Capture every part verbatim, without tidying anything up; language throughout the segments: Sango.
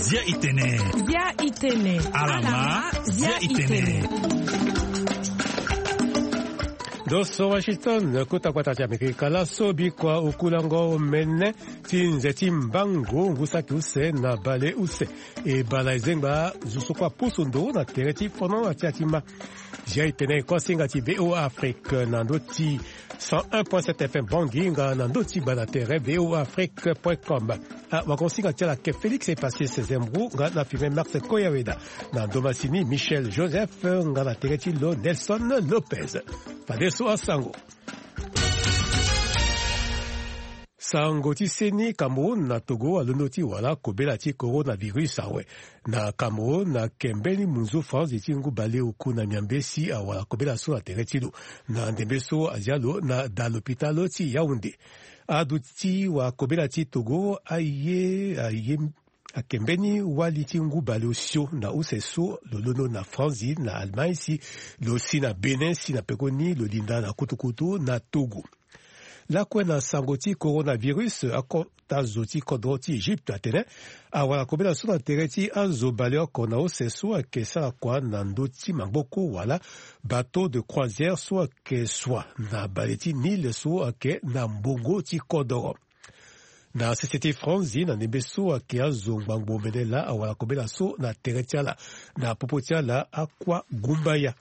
Zia itene. Zia itene. Alama, zia itene. Ndo so Washington, kota kota ti Amerika, laso bikua okulango mene ti nze ti mbangu ngu saki use na bale use. E bala ezengba zo so kue apusu ndo na tere ti fono na ti atima. Zia itene e kosinga ti V O A Afrique na ndo ti cent un point sept F M Bangui nga na ndo ti gbanda tere V O A Afrique point com. Ah, wakonsinga ti ala ke Félix Epassis Zembrou nga na filme Max Koyaweda. Na ndo masini Michel Joseph nga na tere ti lo Nelson Lopez. Fadeso asango. Sango ti seni Cameroun na Togo alondo ti wala kobela ti coronavirus awe. Na Cameroun, na kembe ni munzu franzi ti ngu baleoku na miambe si awara kobela so na tere ti lo. Na ndembe so azia lo na da lopitalo ti Yaoundé. Aduti wa kobela ti Togo aye aye akembe ni wali ti ngu baleosio na use so lo londo na Franzi na Allemagne si lo si na Bénin si na pekoni lo linda na kutukutu na Togo. Lakue na sango ti coronavirus, akota zo ti kodro ti Egypte atene awara kobela so na tere ti azo baleoko na use so ayeke sara kua na ndö ti maboko wala bateau de croisière so ayeke sua na bale ti Nil so ayeke na mbongo ti kodoro. Na sese ti Franzi na ndembe so ayeke azo ngbangbo mene laa awara kobela so na tere ti ala na popo ti ala akua gumbaya.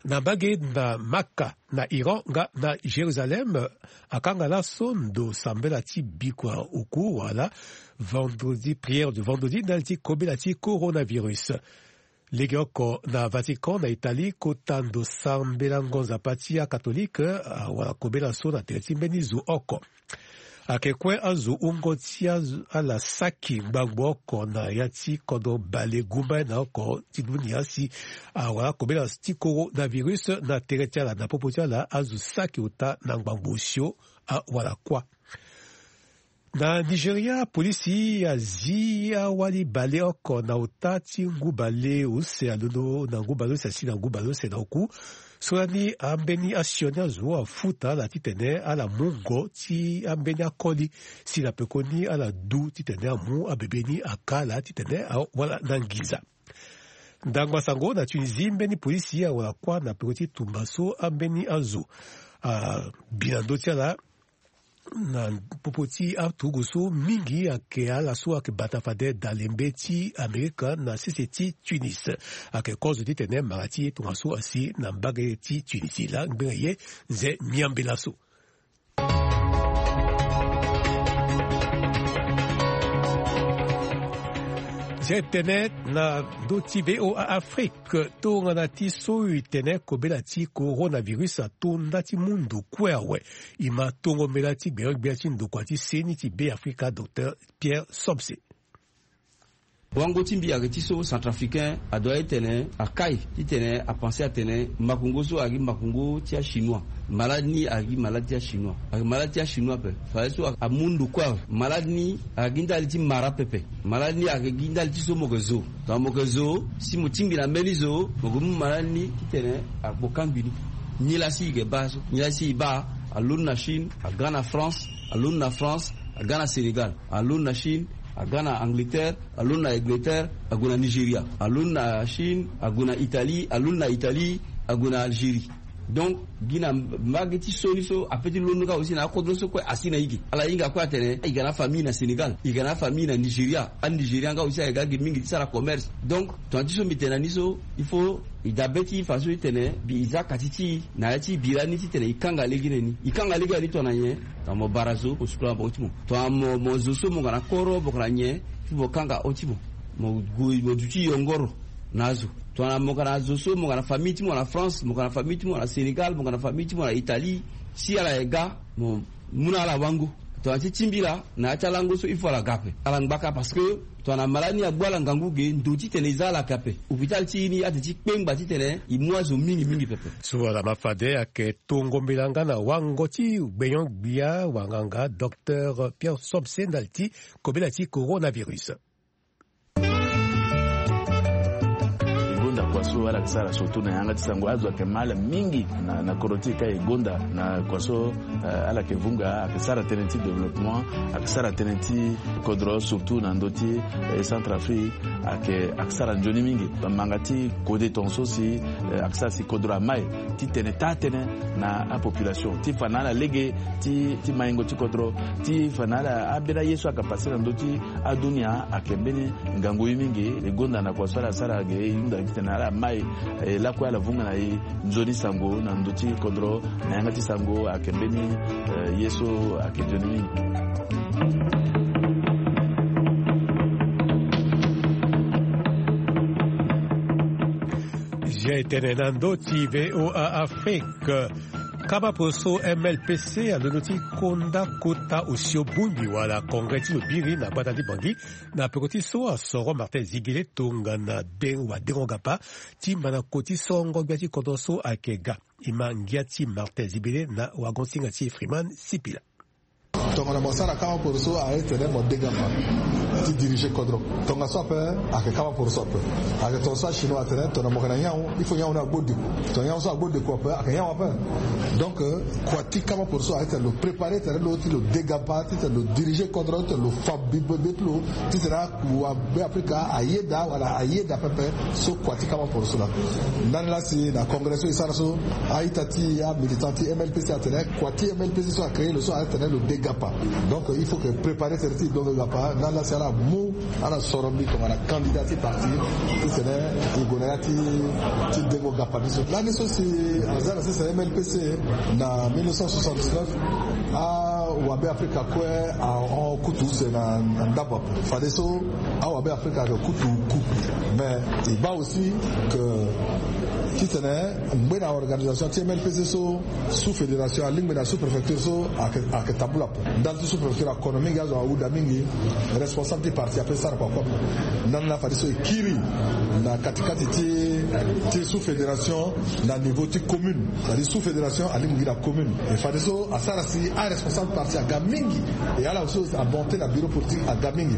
Na mbage na Maka na Iran nga na Jérusalem akanga laso ndo sambela ti bikua oku wala vendredi, prière de vendredi ndali ti kobela ti coronavirus. Legeoko na Vatican na Italie kota ndo sambela ngonza pa ti akatolike awara kobela so na tere ti mbeni zo oko. Ayeke kue azo wungo ti azo ala saki ngbangbo oko na ya ti kodro bale gumba na oko ti dunia si awara kobela ti coronavirus na tere ti ala na popo ti ala azo saki ota na ngbangbo osio awara kuâ. Na Nigeria, polisi azi awali baleoko na ota ti ngu bale use alondo na ngu bale use asi na ngu bale use na oku. So lani ambeni asioni azo afuta ala titene ala mu ngo ti ambeni akoli si na pekoni ala du titene amu abebe ni aka ala titene awala na nginza. Ndangba sango na Tunisie, mbeni polisi awara kuâ na peko ti tumba so ambeni azo abi na ndö ti ala na popo ti aturugu so mingi ayeke ala so ayeke bata fade dalembe ti Amerika na sese ti Tunis. Ayeke kozo titene mara ti ye tongaso asi na mbage ti Tunisie laa ngbene ye nze miambe laso. Zia tene na ndö ti V O A Afrique, tongana ti so e tene kobela ti coronavirus ato nda ti mu ndo kue awe. E ma tongo mbela ti gbeon-gbia ti ndokua ti seni ti Beafrika, docteur Pierre Somse. Wango ti mbi ayeke ti so centrafricain adoit titene akai titene apenser atene makongo so ayeke gi makongo ti achinois. Malade ni ayeke gi malade ti achinois, ayeke malade ti achinois ape. Fadeso amu ndo kue awe. Malade ni ayeke gi ndali ti mara pepe. Malade ni ayeke gi ndali ti so mo yeke zo. Tongana mo yeke zo si mo tingbi na mbeni zo mo yeke mu malade ni titene akpo kangbi ni. Nilaa si e yeke baa so, nilaa si e baa, alondo na Chine, aga na France, alondo na France, aga na Sénégal, alondo na Chine, aga na Angleterre, alondo na Angleterre, ague na Nigeria, alondo na Chine, ague na Italie, alondo na Italie, ague na Algérie. Donc gi na mbage ti so ni so ape ti londo kâ aussi na akodro so kue asi na e ge. Ala hinga kue atene e ga na afamille na Sénégal, e ga na afamille na Nigeria. Anigerian nga aussi ayeke ga ge mingi ti sara commerce. Donc tongana ti so mbi tene na ni so, il faut e dabe ti e fadeso titene mbi e za kati ti e na ya ti e bira ni titene e kanga lege na ni. E kanga lege na ni tongana nyen? Tongana mo bara zo mo sukola maboko ti mo. Tongana mo, mo zo so mo ga na koro mo ga na nyen? Il faut mo kanga hon ti mo. Mo gue mo duti yongoro na azo. Tongana mo ga na zo so mo ga na famille ti mo na France, mo ga na famille ti mo na Sénégal, mo ga na famille ti mo na Italie, si ala yeke ga mo mu na ala wango. Tongana ti ti mbi laa na ya ti alango so il faut ala ga ape, ala ngba kâ parce que tongana malade ni agbu ala ngangu ge ndo titene e za ala yeke ape. Hôpital ti e ni ate ti kpengba titene e mu azo mingi mingi pepe. So ala ma fade ayeke tongo mbela nga na wango ti gbeon-gbia wanganga docteur Pierre Somse ndali ti kobela ti coronavirus. E gonda kua so So ala yeke sara surtout na yanga ti sango, azo ayeke ma ala mingi na, na kodro ti e ka e gonda na kua so, eh, ala yeke vunga, ayeke sara tënë ti développement, ayeke sara tënë ti kodro surtout na ndö ti, eh, Centrafrique, ayeke, ayeke sara nzoni mingi. Bamanga ti kode tongaso si, eh, ayeke sara si kodro amai ti tene taa tënë na apopulation ti fa na ala lege ti, ti maingo ti kodro, ti fa na ala ambeni aye so ayeke pase na ndö ti adunia ayeke mbeni ngangu ye mingi. E gonda na kua so ala sara ge, e hunda gi titene ala mai, eh, lakue ala vunga na e nzoni sango na ndö ti kodro na yanga ti sango ayeke mbeni, eh, ye so ayeke nzoni mingi. Zia e tene na ndö ti V O A Afrique. Kama poroso M L P C alondo ti konda kota osio bongbi wala congrès ti lo biri na gbata ti Bangui na peko ti so asoro Martin Ziguilé tongana de-, wadengo gapa ti ma na koti sorongo gbia ti kodro so ayeke ga. E ma ngia ti Martin Ziguilé na wagon-singa ti Freeman Sipila. Tongana mo sara kama poroso ayeke tene mo denga ma ti diriger kodro. Tongaso ape ayeke kama poroso ape. Ayeke tongaso achinois atene tongana mo yeke na nyawu, il faut nyawu ni agbo deko. Tongana nyawu so agbo deko ape, ayeke nyawu ape. Donc, euh, kua ti kama poroso ayeke tene lo préparer tene lo ti lo denga ma ti tene lo diriger kodro ti tene lo fa bibe ti lo ti tene aku Beafrika ayeda wala ayeda pepe so kua ti kama poroso laa. Ndani laa si na congrès so e sara so, a-ita ti amilitant ti M L P C atene kua ti M L P C so acréé lo so atene lo denga ma. Donc il faut que préparer tene ti e denga ma. Ndani laa si ala mu ala soro mbi tongana candidat ti parti ti tene e gue na ya ti, ti dengo gapa ni so. Lani so si aza na sese M L P C na mille neuf cent soixante-dix-neuf, awabe Afrika kue ahon kutu use na, na ndambo ape. Fadeso awabe Afrika ayeke kutu ku. Mais e baa aussi que ti tene ngbe na organisation ti M L P C so, sous-fédération alingbi na sous-préfecture so ayeke, ayeke tambula ape. Ndali ti sous-préfecture akono mingi, azo ahuda mingi, responsable ti parti ape sara kua kue ape. Ndani laa fadeso e kiri na katikati ti, ti sous-fédération na niveau ti commune. C'est-à-dire sous-fédération alingbi gi na commune. E fadeso asara si aresponsable parti aga mingi. E ala so amonte na bureau politique aga mingi.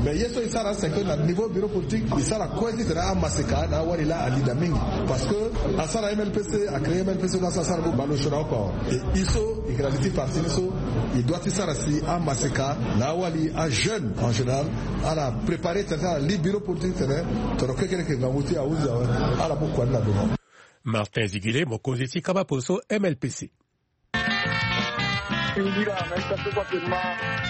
Mais ye so e sara c'est que na niveau bureau politique e sara kue ti tene amaseka na awali laa alida mingi. Parce que asara M L P C, acréé M L P C, asara, asara bo bale osio na oko awe. E e so e yeke na li ti parti ni so, e doit ti sara si amaseka na awali, ajeune en général, ala préparer tene ti ala li bureau politique tene, tongana kekereke ngangu ti e ahunzi awe, ala mu kua ni na devant. Martin Ziguilé, mokonzi ti kama poroso M L P C. Ngira na ita so kua tene ma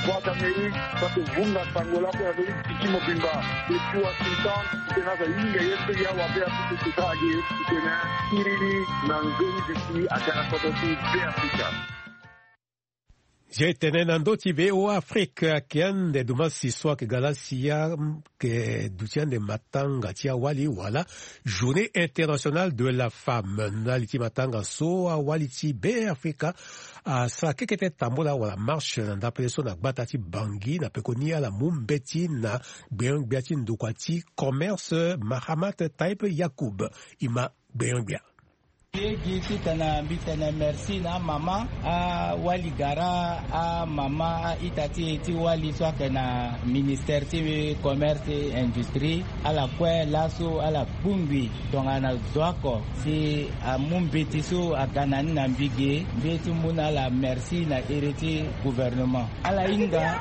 Voix d'Amérique, kua tene vunga sango lakue na ndö ti titi mobimba. Depuis Washington, titene aza hinga ye so ya wabe Afrika ti sara ge, titene kiri ni na nzoni bisi aga na kodro ti Beafrika. Zia e tene na ndö ti V O A Afrique, ayeke ande dumasi so ayeke ga laa si ayeke duti ande matanga ti awali wala Journée internationale de la femme. Na li ti matanga so awali ti Beafrika asara kekete tambula wala marche na ndapele so na gbata ti Bangui na pekoni ala mu mbeti na gbenyo-gbia ti ndokua ti commerce Mahamat Taib Yacoub. E ma gbenyo-gbia. Lege titene mbi tene merci na amama, awali gara, amama a-ita ti e ti wali so ayeke na ministère ti commerce et industrie. Ala kue laso ala bongbi tongana zo oko si amu mbeti so aga na ni na mbi ge, mbi ye ti mu na ala merci na ere ti gouvernement. Ala hinga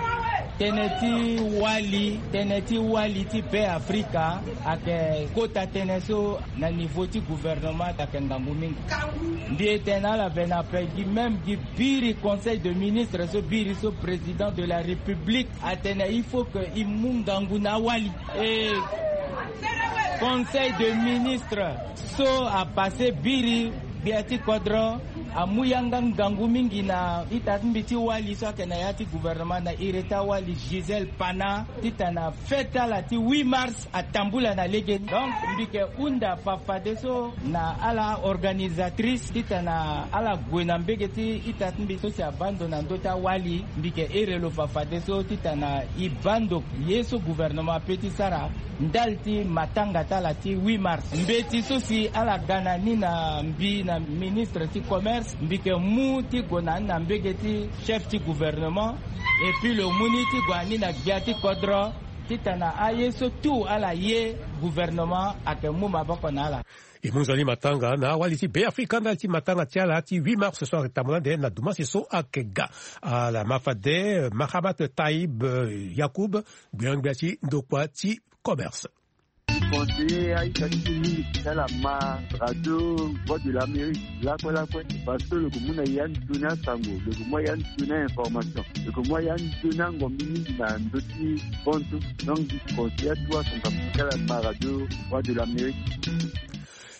tënë ti wali, tënë ti wali ti Beafrika ayeke kota tënë so na niveau ti gouvernement ayeke ngangu mingi. Mbi e tene na ala vena ape gi même gi biri conseil de ministre so biri so président de la République atene il faut que e mu ngangu na awali. E conseil de ministre so apase biri gbia ti kodro amu yanga ngangu mingi na ita ti mbi ti wali so ayeke na ya ti gouvernement na iri ti awali Gisèle Pana titene fête ala ti huit mars atambula na legeni. Donc mbi yeke hunda fafadeso na ala organisatrice titene ala gue na mbege ti ita ti mbi so si abaa ndo na ndö ti awali. Mbi yeke here lo fafadeso titene e baa ndo ye so gouvernement ape ti sara ndali ti matanga ti ala ti huit mars. Mbeti so si ala ga na ni na mbi na ministre ti commerce, mbi yeke mu ti gue na ni na mbege ti chef ti gouvernement. Et puis lo mu ni ti gue na ni na gbia ti kodro. Titene aye so tout ala ye, gouvernement ayeke mu maboko na ala. E mu nzoni matanga na awali ti Beafrika ndali ti matanga ti ala ti huit mars so ayeke tambula nde na dumansi so ayeke ga. Ala ma fade Mahamat Taib Yacoub, gbia-gbia ti ndokua ti commerce. Conseiller aita ti mingi ti ala ma radio Voix de l'Amérique lakue lakue, parce que lo yeke mu na ya nzoni asango, lo yeke mu ya nzoni a-information, lo yeke mu ya nzoni angombi mingi na ndö ti kontu. Donc conseiller atu asango ti ala ma radio Voix de l'Amérique.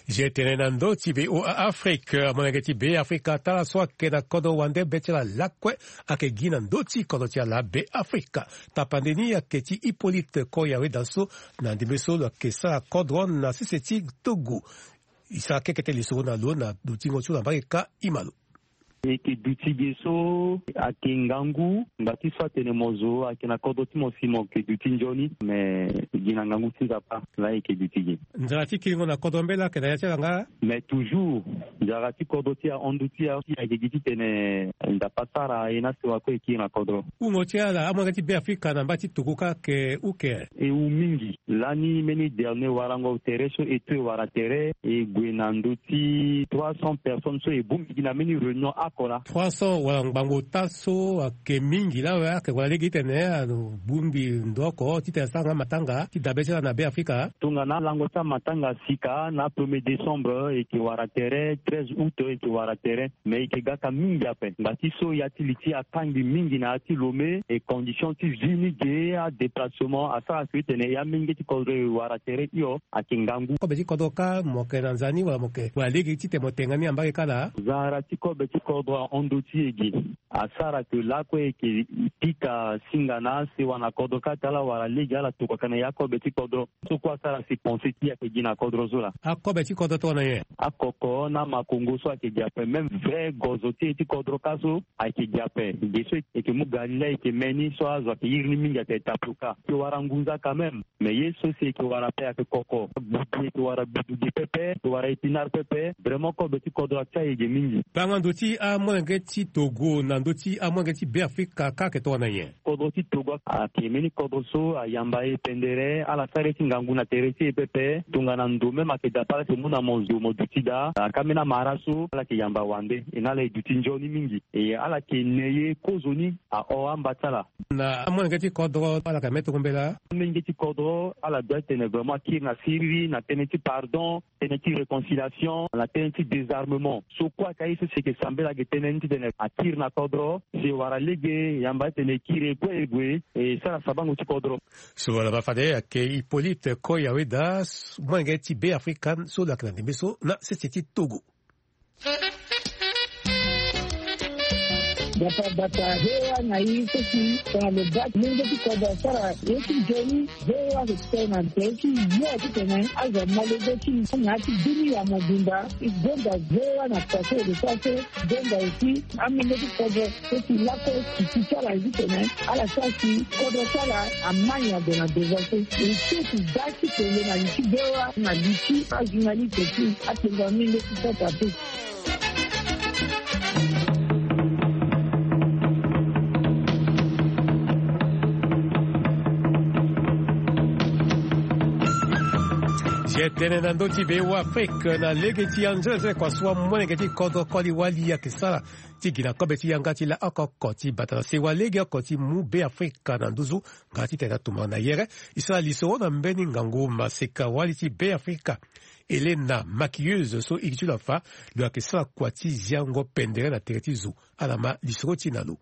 Zia tene na ndö ti VOA Afrique, molenge ti Beafrika, tara so ayeke na kodro wande be ti ala lakue ayeke gi na ndö ti kodro ti ala Beafrika. Tapande ni ayeke ti Hippolyte Koyaweda so na ndembe so lo yeke sara kodro na sese ti Togo. E sara keke tënë lisoro na lo na dutingo ti lo na mbage ka e ma lo. E yeke duti ge so ayeke ngangu, ngba ti so atene mo zo ayeke na kodro ti mo si mo yeke duti nzoni, me e gi na ngangu ti Nzapa laa e yeke duti ge. Nzara ti kiringo na kodro mbela ayeke na ya ti ala nga? Mais toujours, nzara ti kodro ti ahon ndu ti e ayeke gi titene Nzapa asara e na sewa kue e kiri na kodro. Hungo ti ala amolenge ti Beafrika na mba ti Togo kâ ayeke uke? E hu mingi. Lani mbeni dernier warango tere so e to e wara tere, e gue na ndö ti trois cents personnes so e bongbi gi na mbeni réunion oko laa. Trois cents wala ngbangbo ota so ayeke mingi laa awe, ayeke wara lege titene abongbi ndo oko titene asara nga matanga ti dabe ti ala na Beafrika. Tongana lango ti amatanga sika na premier décembre e yeke wara tere, treize août e yeke wara tere, mais e yeke gaka mingi ape. Ngba ti so ya ti li ti e akangbi mingi na ya ti Lomé, e condition ti vie ni ge, adéplacement asara si titene e amolenge ti kodro e wara tere hio ayeke ngangu. Kobe ti kodro kâ mo yeke na nza ni wala mo yeke wara lege titene mo tenga ni na mbage kâ laa? Nzara ti kobe ti kodro ahon ndo ti e ge. Asara ke lakue e yeke pika singa na asewa na kodro kâ ti ala wala lege ala tokua ka na ya kobe ti kodro. So kue asara si pensée ti e ayeke gi na kodro so laa. Akobe ti kodro tongana nyen? Akoko na amakongo so ayeke gi ape, même vrai gozo ti e ti kodro kâ so ayeke gi ape. Ge so e yeke mu ga ni laa e yeke me ni so azo ayeke iri ni mingi ayeke tapioka. E yeke wara ngunza quand même. Mais ye so si e yeke wara ape ayeke koko. Gbudu e yeke wara gbudu ge pepe, e yeke wara épinard pepe. Vraiment kobe ti kodro atia e ge mingi. Kpanga ndo ti amolenge ti Togo na ndö ti amolenge ti Beafrika kâ ayeke tongana nyen? Kodro ti Togo ayeke mbeni kodro so ayamba e pendere, ala sara ye ti ngangu na tere ti e pepe. Tongana ndo même ayeke daa pepe ala yeke mu na mo zo mo duti daa. Aka mbeni amara so ala yeke yamba wande, e na ala e duti nzoni mingi. E ala yeke ne ye kozoni ahon amba ti ala. Na amolenge ti kodro ala yeke me tongana mbela? Amolenge ti kodro ala doit tene vraiment akiri na siriri na tënë ti pardon, tënë ti réconciliation, na tënë ti désarmement. So kue ayeke aye so si e yeke sambela ge tënë ni titene akiri na kodro, si e wara lege, yamba titene e kiri e kue e gue, e sara sabango ti kodro. So wala ma fade ayeke Hippolyte Koyaweda, molenge ti Beafrika so lo yeke na ndembe so na sese ti Togo. Bata bata, V O A na i so si tongana lo baa ti mungo ti kodro asara ye ti nzoni, V O A ayeke tene na tere ti yo titene azo amolenge ti na ya ti bini ya mobimba. E gonda V O A na kua so e lo sara so, gonda aussi amolenge ti kodro so si lakue ti ti ti ala ye titene ala sara si kodro ti ala amai ague na devant so. E so si baa ti tene na li ti V O A na li ti ajournaliste ti atengo amolenge ti kota te. Zia tënë na ndö ti V O A Afrique na lege ti anzenze kua so amolenge ti kodro koli wali ayeke sara ti gi na kobe ti yanga ti la oko oko ti bata na sewa lege oko ti mu Beafrika na nduzu nga titene atumba na yere. E sara lisoro na mbeni ngangu maseka wali ti Beafrika, Helena, maquilleuse so iri ti lo afa, lo yeke sara kua ti ziango pendere na tere ti zo. Ala ma lisoro ti e na lo.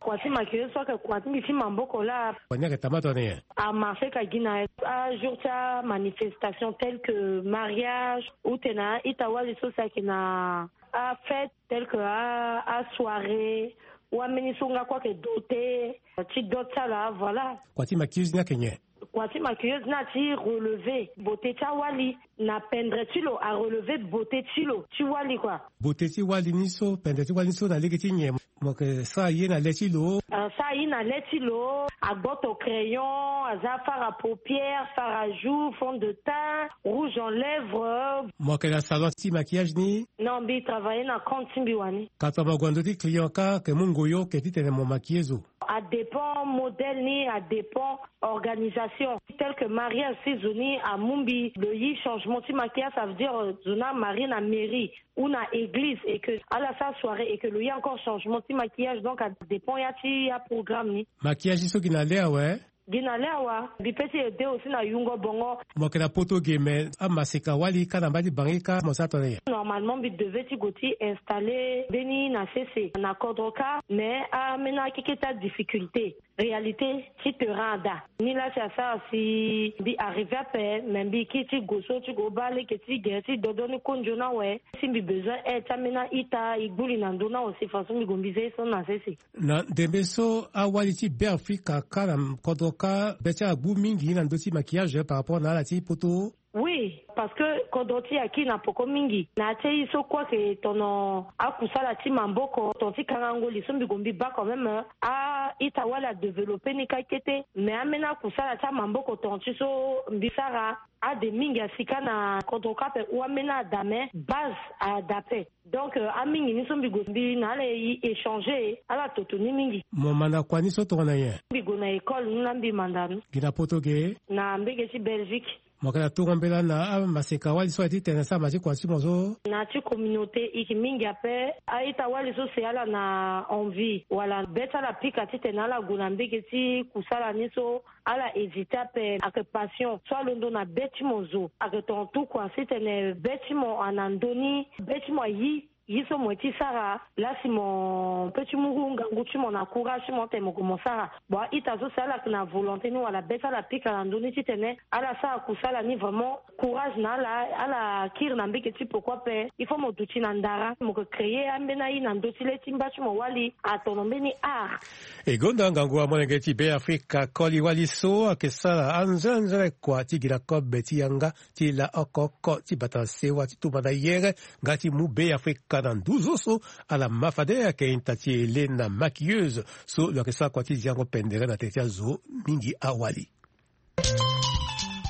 Kua ti maquilleuse so ayeke kua ti mbi ti maboko laa. Kua ni ayeke tambula tongana nyen? Amarché ka gi na ajour ti amanifestation tel que mariage ou tena a-ita wali so si ayeke na afête tel que a, asoirée, ou ambeni so nga kue ayeke doté ti dot ti ala, voilà. Kua ti maquilleuse ni ayeke nyen? Kua ti maquilleuse ni ati relever beauté ti awali na pendre ti lo, arelever beauté ti lo ti wali kua. Beauté ti wali ni so, pendre ti wali ni so na lege ti nyen? Mo yeke sara ye na le ti lo. Asara ye na le ti lo, agboto crayon, aza fard à paupières, fard à joues, fond de teint, rouge en lèvres. Mo yeke na salon ti maquillage ni? Non, mbi travailler na compte ti mbi wani. Ka tongana mo gue na ndö ti client kâ, ayeke mu ngoyo oke titene mo maquiller zo? Adépend modèle ni, adépend organisation. Tel que mariage, si zo ni amu mbi lo yi changement ti maquillage, ça veut dire zo ni amarie na mairie ou na église et que ala sara soirée et que lo yi encore changement ti maquillage, donc adépend ya ti aprogramme ni. Maquillage ni so gi na le awe? Gi na le awa. Mbi pe ti ede aussi na yungo bongo. Mo yeke na poto ge, mais amaseka wali kâ na mba ti bangi kâ mo sara tongana nyen? Normalement mbi devait ti go ti installer mbeni na sese na kodro kâ, mais amena akeke ti adifficulté. Réalité ti terrain ada ni la si asara si mbi arriver ape, mais mbi kiri ti go so ti go baa lege ti gere ti dodo ni kondio ni awe. Si mbi besoin aide ti amena ita e gbu li na ndö ni awe si façon mbi go mbi zia ye so na sese. Na ndembe so awali ti Beafrika kâ na kodro kâ be ti ala gbu mingi na ndö ti maquillage par rapport na ala ti poto? Oui, parce que kodro ti e akiri na poko mingi na ya ti aye so kue ayeke tono akusala ti maboko, ton ti kangango li so mbi go mbi baa quand même a-ita wali adéveloppé ni kâ kete. Mais ameni akusala ti amaboko ton ti so mbi sara ade mingi asi kâ na kodro kâ ape ou ameni ada, mais base ada ape. Donc euh, amingi ni so mbi go mbi na ala e échanger ala toto ni mingi. Mo manda kua ni so tongana nyen? Mbi go na école ni la mbi manda ni. Gi na poto ge? Na mbege ti Belgique. Mo yeke na tungo mbela na amaseka wali so aye titene asara ma ti kua ti mo so? Na ya ti communauté e yeke mingi ape. A-ita wali so si ala na envie wala be ti ala pika titene ala gue na mbege ti kusala ni so, ala hésiter ape. Ayeke passion so alondo na be ti mo zo. Ayeke tonga tout kua si tene be ti mo ana ndö ni, be ti mo ayi ye so mo ye ti sara. La si mo pe ti mu ngangu ti mo na courage ti mo tene mo gue mo sara. Bon, a-ita so si ala yeke na volonté ni wala be ti ala pika na ndö ni titene ala sara kusala ni, vraiment courage na ala. Ala kiri na mbege ti poko ape. Il faut mo duti na ndara, mo yeke créer ambeni aye na ndö ti le ti mba ti mo wali atono mbeni art. E gonda ngangu amolenge ti Beafrika koli wali so ayeke sara anzenze kua ti gi na kobe ti yanga ti la oko oko ti bata sewa ti tumba na yere nga ti mu Beafrika na nduzu so. Ala ma fade ayeke ita ti Helena, maquilleuse so lo yeke sara kua ti ziango pendere na tere ti azo mingi awali.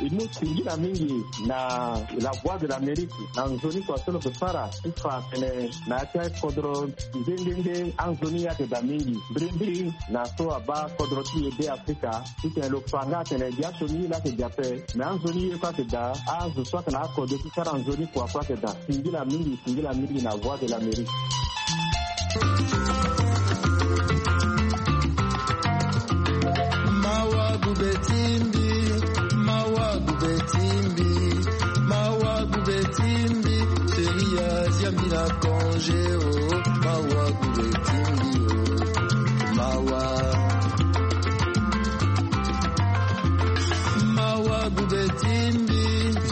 E mu singila mingi na La Voix de l'Amérique na nzoni kua so lo yeke sara ti fa atene na ya ti akodro nde nde nde anzoni ayeke daa mingi. Mbirimbiri na so abaa kodro ti e Beafrika titene lo fa nga atene gi asioni ye laa ayeke daa ape. Me anzoni ye kue ayeke daa, azo so ayeke na akodro ti sara nzoni kua kue ayeke daa. Singila mingi, singila mingi na Voix de l'Amérique. Mawa gube ti mbi, mawa gube ti mbi, mawa gube ti mbi. Chérie, azia mbi na congé, oh, mawa gube ti mbi, oh, mawa. Mawa gube ti mbi.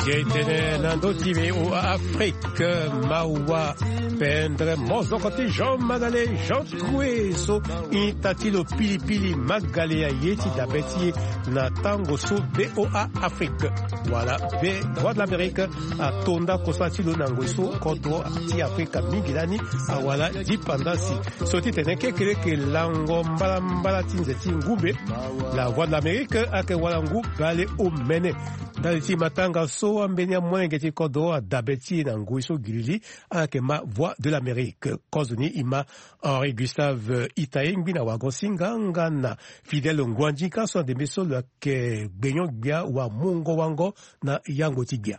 Zia e tene na ndö ti V O A Afrique, mawa pendere mozoko ti Jean Magale, Jean Troué so ita ti lo pilipili Magale aye ti dabe ti e na tango so. V O A Afrique wala V, Voix de l'Amérique atonda kosala ti lo na ngoi so kodro ti Afrika mingi lani awara dipandasi. So ti tene kekereke lango mbalambala ti nze ti ngumbe. La Voix de l'Amérique ayeke wara ngu bale omene. Ndali ti matanga so ambeni amolenge ti kodro adabe ti e na ngoi so girili, ala yeke ma Voix de l'Amérique. Kozo ni e ma Henri Gustave Itaye, ngbi na wago singa nga na Fidèle Nguandinka so na ndembe so lo yeke gbenyo-gbia wa mungo wango na yango ti gbia.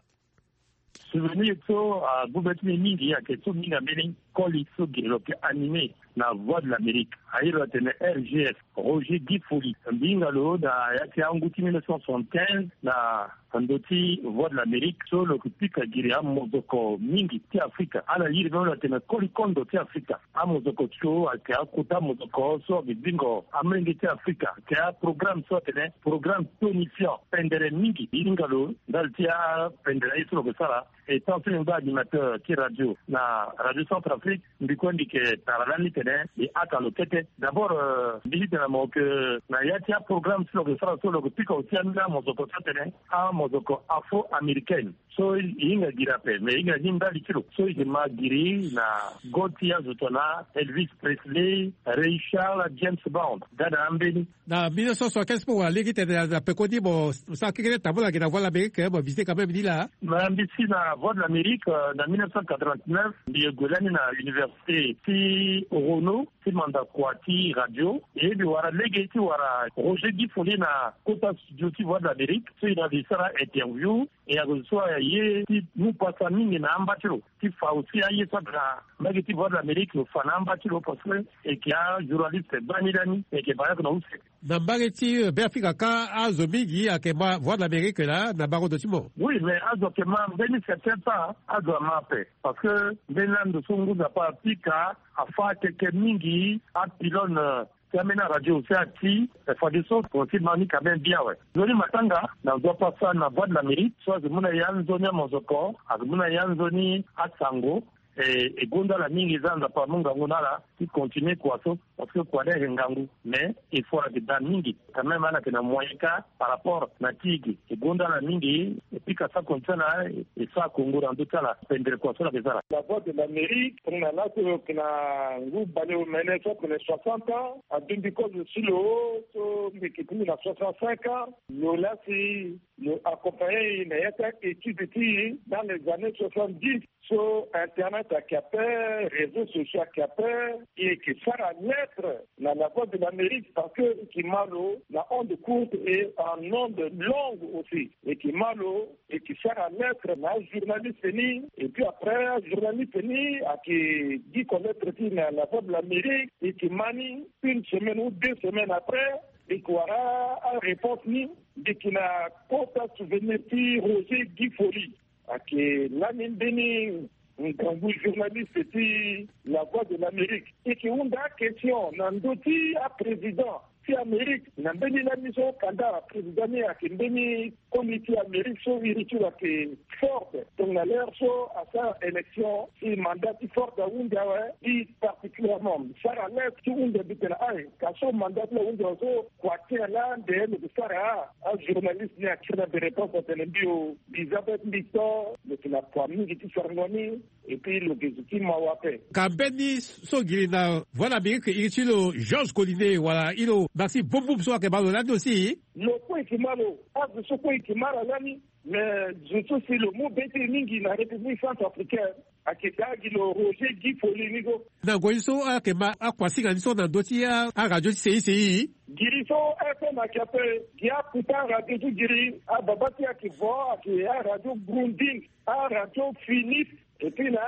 Souvenir so agbu be ti mbi mingi ayeke so mingi ambeni koli so gere lo yeke animé na Voix de l'Amérique. Aye lo atene R G F, Roger Guy Folly. Mbi hinga lo na ya ti angu ti mille neuf cent soixante-quinze na ndo ti Voix de l'Amérique so lo yeke pika giri amozoko mingi ti Afrika. Ala iri mbeni lo atene koli kondo ti Afrika. Amozoko ti lo ayeke akota mozoko so ayeke zingo amolenge ti Afrika. Ayeke aprogramme so atene programme tonifiant pendere mingi. Hinga lo ndali ti apendere aye so lo yeke sara. E tant so mbi ngba animateur ti radio na Radio Centrafrique, mbi kue mbi yeke tara lani tene e haka lo kete. D'abord, euh, mbi tene na mo ke na ya ti aprogramme so lo yeke sara so lo yeke pika aussi ambeni amozoko so atene amozoko afro-américaine. So e hinga giri ape, mais e hinga ni ndali ti lo. So e yeke ma giri na go ti azo tongana Elvis Presley, Ray Charles, James Brown, ga na ambeni. Na mille neuf cent soixante-quinze, mpo wala lege ti tene na peko ni mo sara keke ti tambula gi na Voix de l'Amérique, mo visite quand même ni laa. Na mbi si na Voix de l'Amérique, euh, na mille neuf cent quatre-vingt-neuf, mbi ye gue lani na université ti Renault, ti manda kua ti radio. E mbi wara lege ti wara Roger Guy Follet na kota studio ti Voix de l'Amérique, so e na mbi sara interview. E ague so aye ti mu pasa mingi na amba ti lo, ti fa aussi aye so atara mbage ti Voix de l'Amérique lo fa na amba ti lo, parce que e yeke ajournaliste gbani lani, e yeke baleoko na use. Na mbage ti, euh, Beafrika kâ, azo mingi ayeke ma Voix de l'Amérique laa na bango ndo ti mo. Oui, mais azo ayeke ma mbeni certain temps, azo ama ape. Parce que mbeni lani ndo so ngu Nzapa apika, afâ keke mingi apylône, euh, ti ambeni aradio aussi ati, eh, fadeso mo si ma ni quand même bien awe. Nzoni matanga na nzoni apasa na Voix de l'Amérique, so azo mu na e anzoni amozoko, azo mu na e anzoni asango, eh, e gonda ala mingi, e za Nzapa amu ngangu na ala ti continuer kua so, parce que kua ni ayeke ngangu, mais il faut ala yeke daa mingi. Quand même, ala yeke na moyen kâ par rapport na ti e ge. E gonda ala mingi, e pika sako ti ala, e sara kongo na ndö ti ala, pendere kua so ala yeke sara. La Voix de l'Amérique, tongana laso e yeke na ngu baleomene so atene soixante ans, adundi kozo ti lo so mbi yeke ti mbi na soixante-cinq ans, lo laa si lo accompagner e na ya ti a-étude ti e dans les années soixante-dix. So internet ayeke ape, réseaux sociaux ayeke ape, e yeke sara lettre na La Voix de l'Amérique parce que e yeke ma lo na onde courte et en onde longue aussi. E yeke ma lo, e yeke sara lettre na ajournaliste ni, et puis après ajournaliste ni ayeke diko lettre ti e na La Voix de l'Amérique, e yeke ma ni une semaine ou deux semaines après, e yeke wara aréponse ni. Mbi yeke na kota souvenir ti Roger Guy Follet. Ayeke lani mbeni ngangu journaliste ti La Voix de l'Amérique. E yeke hunda aquestion na ndö ti aprésident ti Amérique na mbeni lani so kanda président ni ayeke mbeni koli ti Amérique so iri ti lo ayeke Ford. Tongana l'heure so asara élection, si mandat ti Ford ahunzi awe, mbi particulièrement mbi sara lettre ti hunzi mbi tene aye, ka so mandat ti lo ahunzi awe so, kua ti ala nde lo ke sara? Ajournaliste ni akiri na mbi réponse atene mbi o, mbi za peut-être mbi to, lo yeke na kua mingi ti sarango ni, et puis lo yeke zo ti mawa ape. Ka mbeni so giri na Voix de l'Amérique iri ti lo Georges Collinet wala iri lo Maxime Boumboup so ayeke ma lo lani aussi? Lo kue e yeke ma lo, azo so kue e yeke ma ala lani. Mais zo so si lo mu be ti e mingi na République centrafricaine, ayeke daa gi lo Roger Guy Follet ni so. Na ngoi so ayeke ma akuasinga ni so na ndö ti a, aradio ti C I C I. Giri so F M ayeke ape, gi akuta aradio so giri, ababa ti e ayeke vo, ayeke aradio Grounding, aradio Philips, et puis na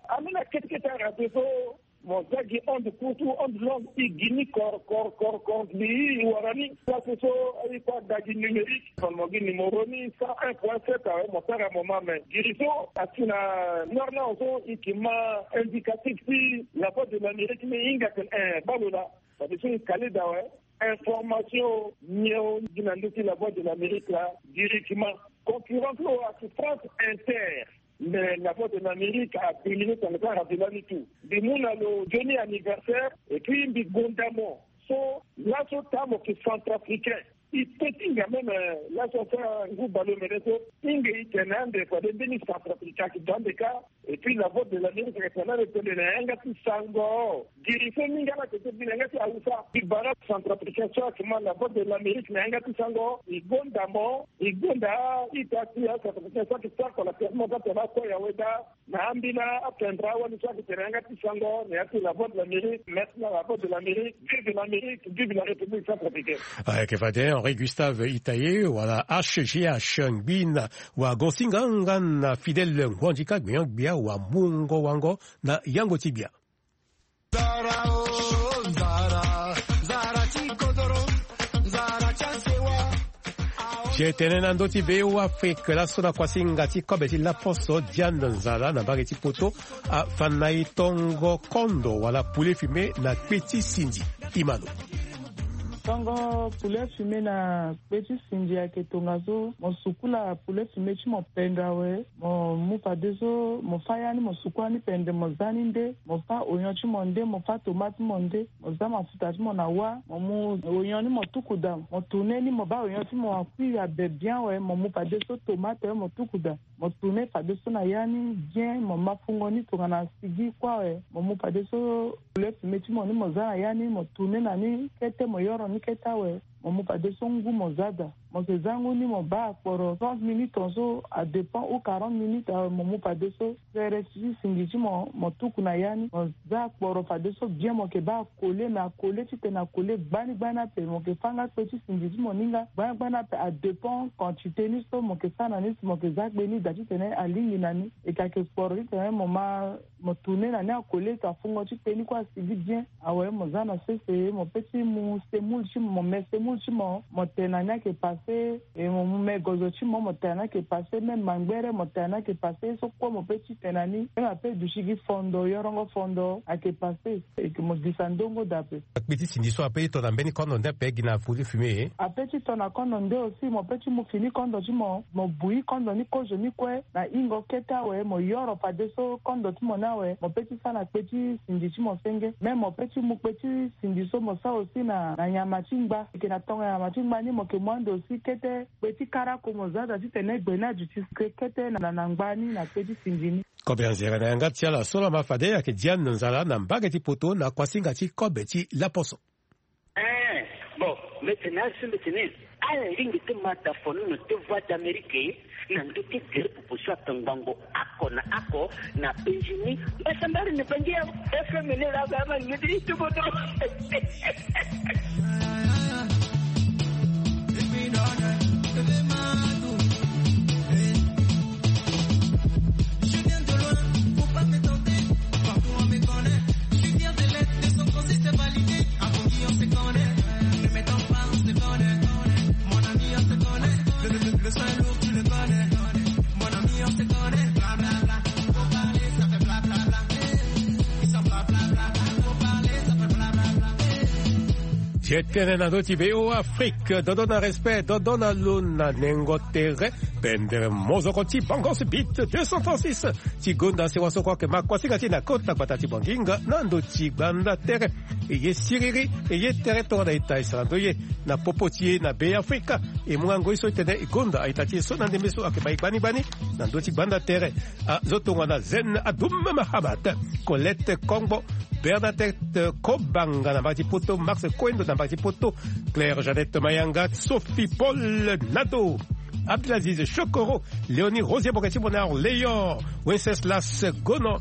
ambeni akete kete aradio so. Mo za gi onde courte ou onde longue, e gi ni kor, kor, kor, kor, mbi e wara ni. Place so e kue ada gi numérique, fani mo gi numéro ni cent un point sept awe, mo sara mo ma me. Giri so asi na Norlan so e yeke ma indicatif ti La Voix de l'Amérique ni, e hinga atene eh, baa lo laa. Fadeso e kale daa awe. Information nyen o gi na ndö ti La Voix de l'Amérique laa? Giri e yeke ma. Concurrent ti lo ayeke France Inter. Mais La Voix de l'Amérique adomine tongana ti aradio lani tout. Mbi mu na lo nzoni anniversaire, et puis mbi gonda mo. So laso taa mo yeke centrafricain. E peut ti hinga même, euh, laso asara ngu baleomene so, hinga e tene ande fade mbeni centrafricain ayeke daa ande kâ. Et puis La Voix de l'Amérique ayeke tene ande tene na yanga ti sango. Giri so mingi ala yeke ti bi na yanga ti awusa. Mbi bara centrafricain so ayeke ma La Voix de l'Amérique na yanga ti sango, e gonda mo, e gonda a-ita ti acentrafricain so ayeke sara kua na piace mo ka tene akue ya weda na ambeni apendra wali so ayeke tene na yanga ti sango na ya ti La Voix de l'Amérique. Merci na La Voix de l'Amérique. Vive l'Amérique, vive la République centrafricaine. Ayeke fade Henri Gustave Itaye wala H G H Ngbina wa Gonsinga nga na Fidèle Ngwandika gbia gbia wa mungo wango na yango ti gbia. Nzara o, nzara, nzara ti kodoro, nzara ti asewa. Aye tene na ndö ti Be Afrique laso na kuasinga ti kobe ti laposo Diane Nzala na mbage ti poto, afani na e tongo kondo wala poulet fumé na kpe ti sindi. Imano. Tongo poulet fumé na kpe ti sinzi ayeke tongaso, mo sukula poulet fumé ti mo pende awe. Mo mu fadeso mo fâ ya ni, mo sukula ni pende, mo zâ ni nde. Mo fâ oignon ti mo nde, mo fâ tomate ti mo nde. Mo zâ mafuta ti mo na wâ, mo mu oignon ni mo tuku daa, mo tourné ni, mo baa oignon ti mo akui abe bien awe. Mo mu fadeso tomate awe mo tuku daa. Mo tourné fadeso na ya ni bien, mo ma fungo ni tongana sigi kue awe. Mo mu fadeso poulet fumé ti mo ni mo zâ na ya ni, mo tourné na ni kete, mo yoro ni kete awe. Mo mu fadeso ngu mo zâ daa. Mo yeke zâ ngu ni mo baa akporo trente minutes tongaso, adépend, ou quarante minutes awe. Mo mu fadeso sere ti sinzi ti mo, mo tuku na ya ni, mo zâ akporo fadeso bien, mo yeke baa akole, me akole titene akole gbani gbani ape. Mo yeke fâ nga kpe ti sinzi ti mo ni nga gbani gbani ape, adépend quantité ni so mo yeke sara na ni, si mo yeke zâ kpe ni daa titene alingbi na ni. E yeke ayeke kporo titene mo ma, mo tourné na ni akole, to afungo ti kpe ni kue asigi bien awe. Mo zâ na sese, mo pe ti mu semoule ti mo, mo me semoule ti mo, mo tene na ni ayeke passé. E mo mu me gozo ti mo, mo tene na ni ayeke passé. Même mangbere mo tene na ni ayeke passé. So kue mo pe ti tene na ni, même ape duti gi fondo, yorongo fondo ayeke passé. E yeke mo gisa ndongo daa ape. Akpe ti sinzi so ape ti to na mbeni kondo nde ape gi na poulet fumé? Ape ti to na kondo nde aussi, mo pe ti mu fini kondo ti mo, mo bui kondo ni kozo ni kue na hingo kete awe, mo yoro fadeso kondo ti mo ni awe. Mo pe ti sara na kpe ti sinzi ti mo senge. Même mo pe ti mu kpe ti sinzi so mo sara aussi na, na nyama ti ngba. E yeke na tongo nyama ti ngba ni mo yeke mu ande aussi kete kpe ti karako mo zâ daa titene gbe ni aduti kete na, na ngba ni na kpe ti sinzi ni. Kobe anzere na yanga ti ala so lama fade ayeke Diane Nzala na mbage ti poto na kuasinga ti kobe ti laposo. Eh, bon, mbi tene asi mbi tene ala lingbi ti ma da fono na te Voix d'Amérique na ndö ti gere popo so atongbango oko na oko na penzi ni. Mbasambari ni bangi ya F M ni la ba ma ni ti tuboto. Ti e tene na ndö ti V O A Afrique, dodo na respect, dodo na lo na nengo tere. Pendere mozoko ti Bangos Beat deux cent trente-six ti gonda sewa so kue ayeke ma kuasinga ti e na kota gbata ti Banginga na ndö ti gbanda tere. E ye siriri, e ye tere tongana ita e sara ndo ye na popo ti e na Be Afrika. E mu nga ngoi so e tene e gonda a-ita ti e so na ndembe so ayeke ma e gbani gbani na ndö ti gbanda tere. Azo tongana Zen Adoum Mahamat, Colette Kongbo, Bernadette Kobanga na mbage ti poto, Max Koendo na mbage ti poto, Claire Jeannette Mayanga, Sophie Paul Nado, Abdelaziz Chokoro, Léonie Rosier Boketi Bonheur Léon, Wenceslas Gono,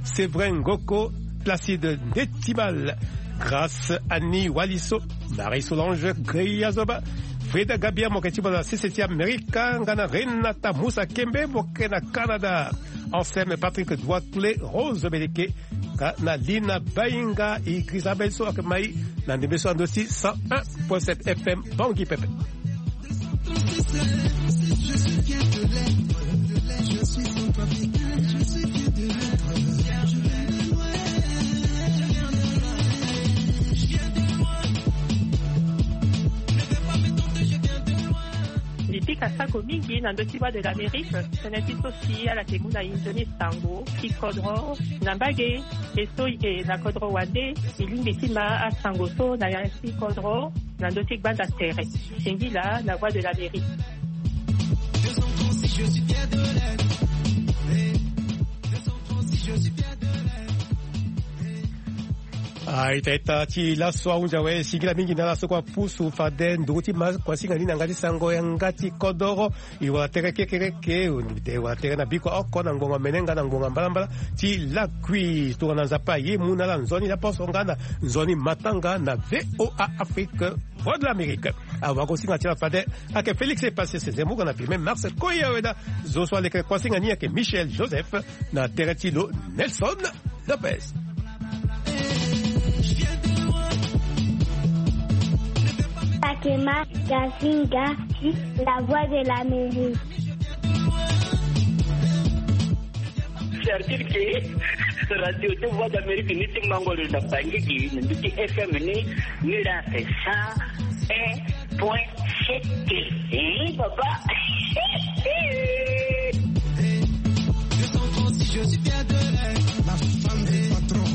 Séverin Ngoko, Placide Ndetimal, Grâce Annie Waliso, Marie Solange Greyazoba, Frida Gabia Moketi Bonheur Sese ti Amerika, nga na Renata Musa Kembe Moke na Canada, Anselme Patrick Douaclé, Rose Beleke, nga na Lina Bainga, Idrissa Belso ayeke ma e na ndembe so na ndö ti cent un point sept F M Bangui Pepe. Mbi pika sako mingi na ndö ti Voix de l'Amérique, tënë ti so si ala yeke mu na e nzoni sango ti kodro na mbage. E so e yeke na kodro wande, e lingbi ti ma asango so na ya ti kodro na ndö ti gbanda tere. Singila na Voix de l'Amérique. A-ita-ita ti laso ahunzi awe, singila mingi na ala so kue apusu fade nduru ti ma kuasinga ni na yanga ti sango yanga ti kodoro. E wara tere kekereke, e wara tere na biko oko na ngbonga mene nga na ngbonga mbalambala ti lakui. Tongana Nzapa aye mu na ala nzoni laposo nga na nzoni matanga na V O A Afrique, Voix de l'Amérique. Awagosinga ti ala fade ayeke Félix Epasese Zembourg na filme Max Koyaweda. Zo so aleke kuasinga ni ayeke Michel Joseph na tere ti lo Nelson Lopez. Takema Gazinga ti La Voix de l'Amérique. C'est-à-dire que Radio de Voix d'Amérique ni ti mango lo na Bangui gi na mbi ti F M ni. Ni la ake cent un point sept. Eh, papa. Je suis fier de elle. La femme du patron.